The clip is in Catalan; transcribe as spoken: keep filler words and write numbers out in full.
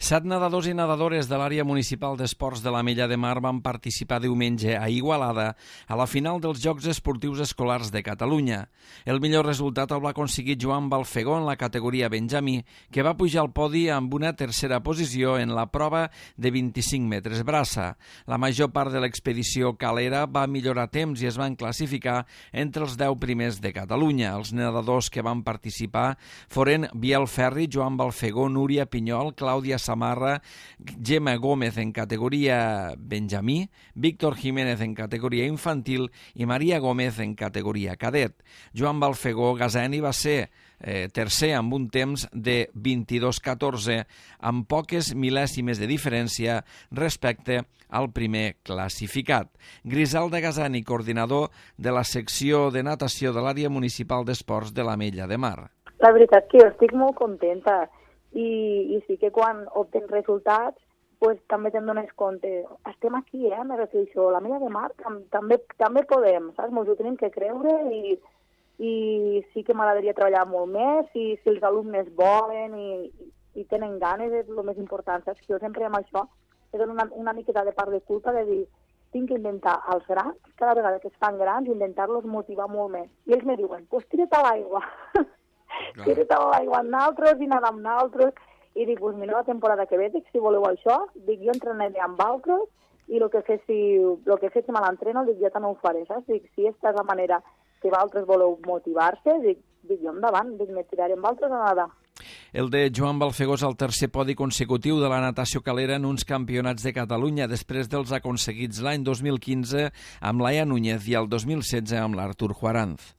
Set nedadors i nedadores de l'àrea municipal d'esports de l'Ametlla de Mar van participar diumenge a Igualada a la final dels Jocs Esportius Escolars de Catalunya. El millor resultat el va aconseguir Joan Balfegó en la categoria Benjamí, que va pujar al podi amb una tercera posició en la prova de vint-i-cinc metres braça. La major part de l'expedició calera va millorar temps i es van classificar entre els deu primers de Catalunya. Els nedadors que van participar foren Biel Ferri, Joan Balfegó, Núria Pinyol, Clàudia Samarra, Gemma Gómez en categoria Benjamí, Víctor Jiménez en categoria infantil i Maria Gómez en categoria cadet. Joan Balfegó Gazeni va ser eh, tercer amb un temps de vint-i-dos catorze, amb poques mil·lèsimes de diferència respecte al primer classificat. Griselda Gazeni, coordinador de la secció de natació de l'àrea municipal d'esports de l'Ametlla de Mar. La veritat que jo estic molt contenta. I, i sí que quan obtens resultats pues, també te'n dones compte. Estem aquí, eh, me refereixo, la Ametlla de Mar tam, també, també podem, saps? Ens ho tenim que creure i, i sí que m'agradaria treballar molt més i si els alumnes volen i, i tenen ganes és el més important, saps? Que jo sempre amb això he donat una, una miqueta de part de culpa de dir tinc que inventar als grans, cada vegada que es fan grans, intentar-los motivar molt més. I ells me diuen, pues tira't a l'aigua. Tira't a l'aigua amb naltros i nedar amb naltros. I dic, pues mira, la temporada que ve, dic, si voleu això, dic, jo entrenaré amb altres i el que féssiu, el que féssiu a l'entreno, dic, jo també ho faré, saps? Dic, si aquesta és la manera que vosaltres voleu motivar-se, dic, dic, jo endavant, dic, me tiraré amb altres a nedar. El de Joan Balfegó és el tercer podi consecutiu de la natació calera en uns campionats de Catalunya, després dels aconseguits l'any dos mil quinze amb Laia Núñez i el dos mil setze amb l'Artur Juaranz.